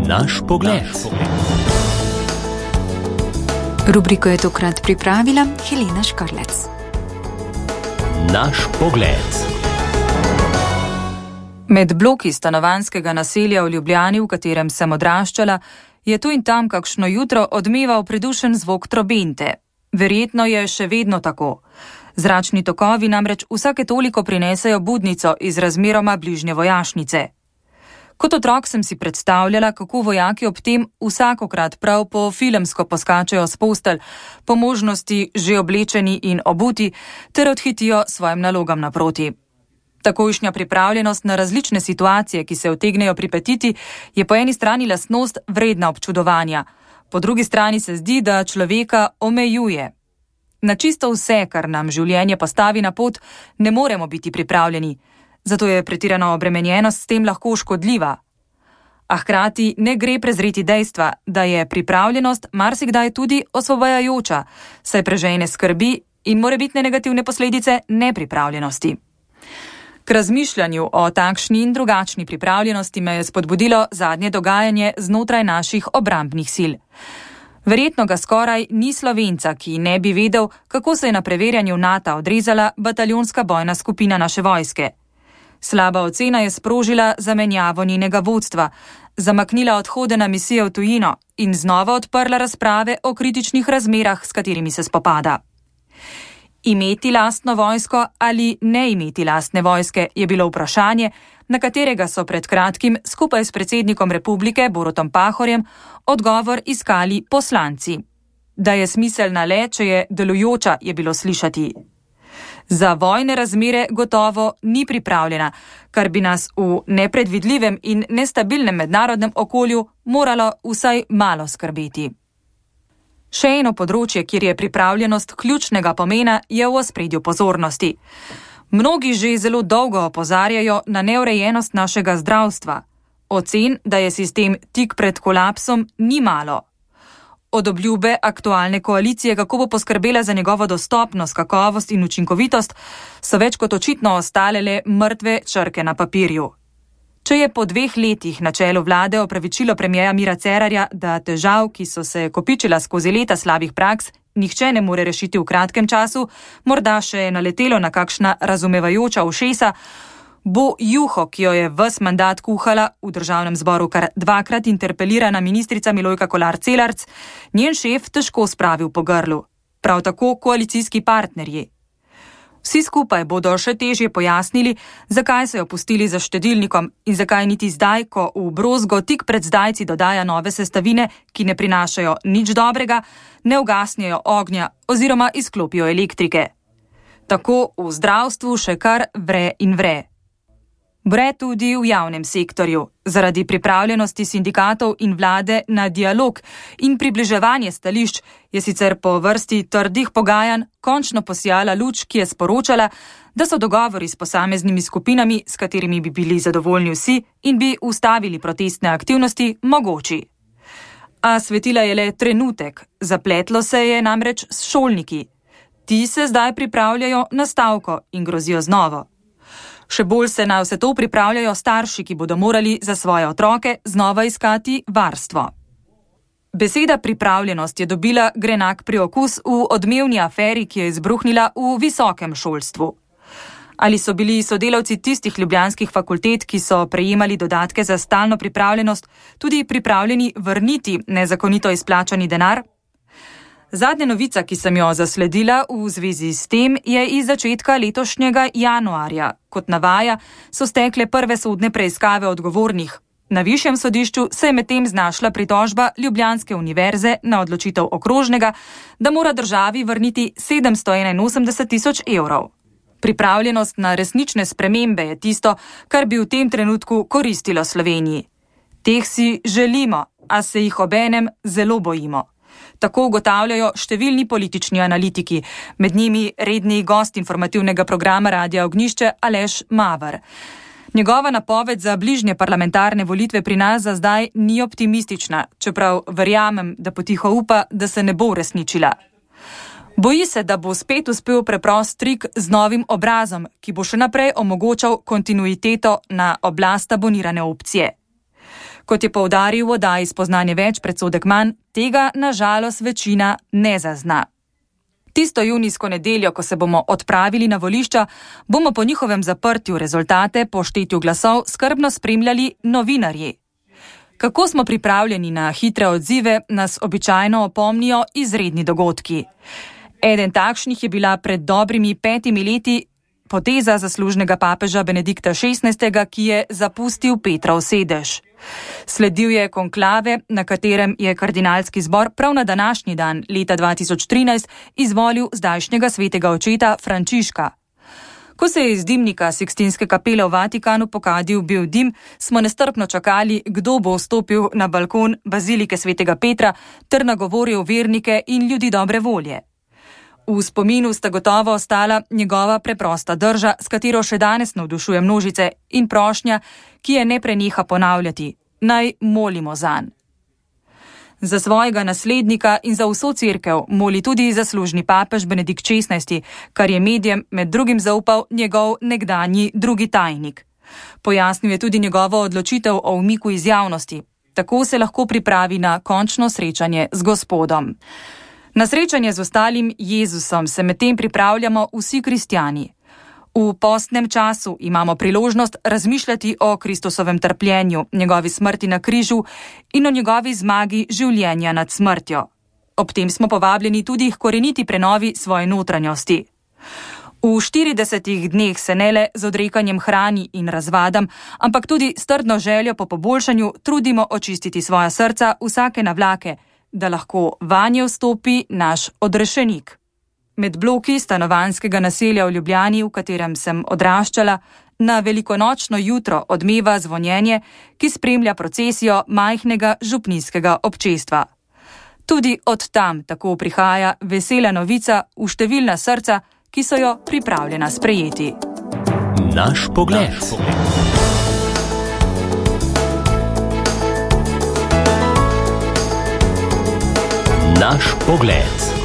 Naš pogled. Rubriko je tokrat pripravila Helena Škarlec. Naš pogled. Med bloki stanovanjskega naselja v Ljubljani, v katerem sem odraščala, je tu in tam kakšno jutro odmeval pridušen zvok trobente. Verjetno je še vedno tako. Zračni tokovi namreč vsake toliko prinesejo budnico iz razmeroma bližnje vojašnice. Kot otrok sem si predstavljala, kako vojaki ob tem vsakokrat prav po filmsko poskačejo s postelj, po možnosti že oblečeni in obuti, ter odhitijo svojim nalogam naproti. Takojšnja pripravljenost na različne situacije, ki se utegnejo pripetiti, je po eni strani lastnost vredna občudovanja, po drugi strani se zdi, da človeka omejuje. Na čisto vse, kar nam življenje postavi na pot, ne moremo biti pripravljeni, zato je pretirana obremenjenost s tem lahko škodljiva. A hkrati ne gre prezreti dejstva, da je pripravljenost marsikdaj tudi osvobajajoča, saj prežene skrbi in morebitne negativne posledice nepripravljenosti. K razmišljanju o takšni in drugačni pripravljenosti me je spodbudilo zadnje dogajanje znotraj naših obrambnih sil. Verjetno ga skoraj ni Slovenca, ki ne bi vedel, kako se je na preverjanju NATO odrezala bataljonska bojna skupina naše vojske. Slaba ocena je sprožila zamenjavo njenega vodstva, zamaknila odhode na misije v tujino in znova odprla razprave o kritičnih razmerah, s katerimi se spopada. Imeti lastno vojsko ali ne imeti lastne vojske je bilo vprašanje, na katerega so pred kratkim skupaj s predsednikom republike Borutom Pahorjem odgovor iskali poslanci. Da je smiselna le, če je delujoča, je bilo slišati. Za vojne razmere gotovo ni pripravljena, kar bi nas v nepredvidljivem in nestabilnem mednarodnem okolju moralo vsaj malo skrbeti. Še eno področje, kjer je pripravljenost ključnega pomena, je v ospredju pozornosti. Mnogi že zelo dolgo opozarjajo na neurejenost našega zdravstva. Ocen, da je sistem tik pred kolapsom, ni malo. Od obljube aktualne koalicije, kako bo poskrbela za njegovo dostopnost, kakovost in učinkovitost, so več kot očitno ostale le mrtve črke na papirju. Če je po 2 letih na čelu vlade opravičilo premierja Mira Cerarja, da težav, ki so se kopičila skozi leta slabih praks, nihče ne more rešiti v kratkem času, morda še je naletelo na kakšna razumevajoča ušesa, bo juho, ki jo je ves mandat kuhala v državnem zboru kar 2-krat interpelirana ministrica Milojka Kolar Celarc, njen šef težko spravil po grlu. Prav tako koalicijski partnerji. Vsi skupaj bodo še težje pojasnili, zakaj so jo pustili za štedilnikom in zakaj niti zdaj, ko v brozgo tik pred zdajci dodaja nove sestavine, ki ne prinašajo nič dobrega, ne ugasnejo ognja oziroma izklopijo elektrike. Tako v zdravstvu še kar vre in vre. Vre tudi v javnem sektorju, zaradi pripravljenosti sindikatov in vlade na dialog in približevanje stališč je sicer po vrsti trdih pogajanj končno posijala luč, ki je sporočala, da so dogovori s posameznimi skupinami, s katerimi bi bili zadovoljni vsi in bi ustavili protestne aktivnosti, mogoči. A svetila je le trenutek, zapletlo se je namreč s šolniki. Ti se zdaj pripravljajo na stavko in grozijo z novo. Še bolj se na vse to pripravljajo starši, ki bodo morali za svoje otroke znova iskati varstvo. Beseda pripravljenost je dobila grenak priokus v odmevni aferi, ki je izbruhnila v visokem šolstvu. Ali so bili sodelavci tistih ljubljanskih fakultet, ki so prejemali dodatke za stalno pripravljenost, tudi pripravljeni vrniti nezakonito izplačani denar? Zadnja novica, ki sem jo zasledila v zvezi s tem, je iz začetka letošnjega januarja. Kot navaja, so stekle prve sodne preiskave odgovornih. Na višjem sodišču se je medtem znašla pritožba Ljubljanske univerze na odločitev okrožnega, da mora državi vrniti 781 000 evrov. Pripravljenost na resnične spremembe je tisto, kar bi v tem trenutku koristilo Sloveniji. Teh si želimo, a se jih obenem zelo bojimo. Tako ugotavljajo številni politični analitiki, med njimi redni gost informativnega programa Radia Ognjišče Aleš Maver. Njegova napoved za bližnje parlamentarne volitve pri nas za zdaj ni optimistična, čeprav verjamem, da potiho upa, da se ne bo uresničila. Boji se, da bo spet uspel preprost trik z novim obrazom, ki bo še naprej omogočal kontinuiteto na oblast abonirane opcije. Kot je poudaril v oddaji Spoznanje več, predsodek manj, tega nažalost večina ne zazna. Tisto junijsko nedeljo, ko se bomo odpravili na volišča, bomo po njihovem zaprtju rezultate po štetju glasov skrbno spremljali novinarji. Kako smo pripravljeni na hitre odzive, nas običajno opomnijo izredni dogodki. Eden takšnih je bila pred dobrimi 5 leti poteza zaslužnega papeža Benedikta XVI, ki je zapustil Petrov sedež. Sledil je konklave, na katerem je kardinalski zbor prav na današnji dan leta 2013 izvolil zdajšnjega svetega očeta Frančiška. Ko se je iz dimnika Sikstinske kapele v Vatikanu pokadil bil dim, smo nestrpno čakali, kdo bo vstopil na balkon bazilike svetega Petra ter nagovoril vernike in ljudi dobre volje. V spominu sta gotovo ostala njegova preprosta drža, s katero še danes navdušuje množice, in prošnja, ki je ne preneha ponavljati: naj molimo zanj. Za svojega naslednika in za vso cerkev moli tudi zaslužni papež Benedikt XVI, kar je medijem med drugim zaupal njegov nekdanji drugi tajnik. Pojasnil je tudi njegovo odločitev o umiku iz javnosti. Tako se lahko pripravi na končno srečanje z Gospodom. Na srečanje z ostalim Jezusom se medtem pripravljamo vsi kristjani. V postnem času imamo priložnost razmišljati o Kristusovem trpljenju, njegovi smrti na križu in o njegovi zmagi življenja nad smrtjo. Ob tem smo povabljeni tudi k koreniti prenovi svoje notranjosti. V 40 dneh se ne le z odrekanjem hrani in razvadam, ampak tudi s trdno željo po poboljšanju trudimo očistiti svoja srca vsake navlake, da lahko vanje vstopi naš odrešenik. Med bloki stanovanjskega naselja v Ljubljani, v katerem sem odraščala, na velikonočno jutro odmeva zvonjenje, ki spremlja procesijo majhnega župnijskega občestva. Tudi od tam tako prihaja vesela novica v številna srca, ki so jo pripravljena sprejeti. Naš pogled. Naš pogled.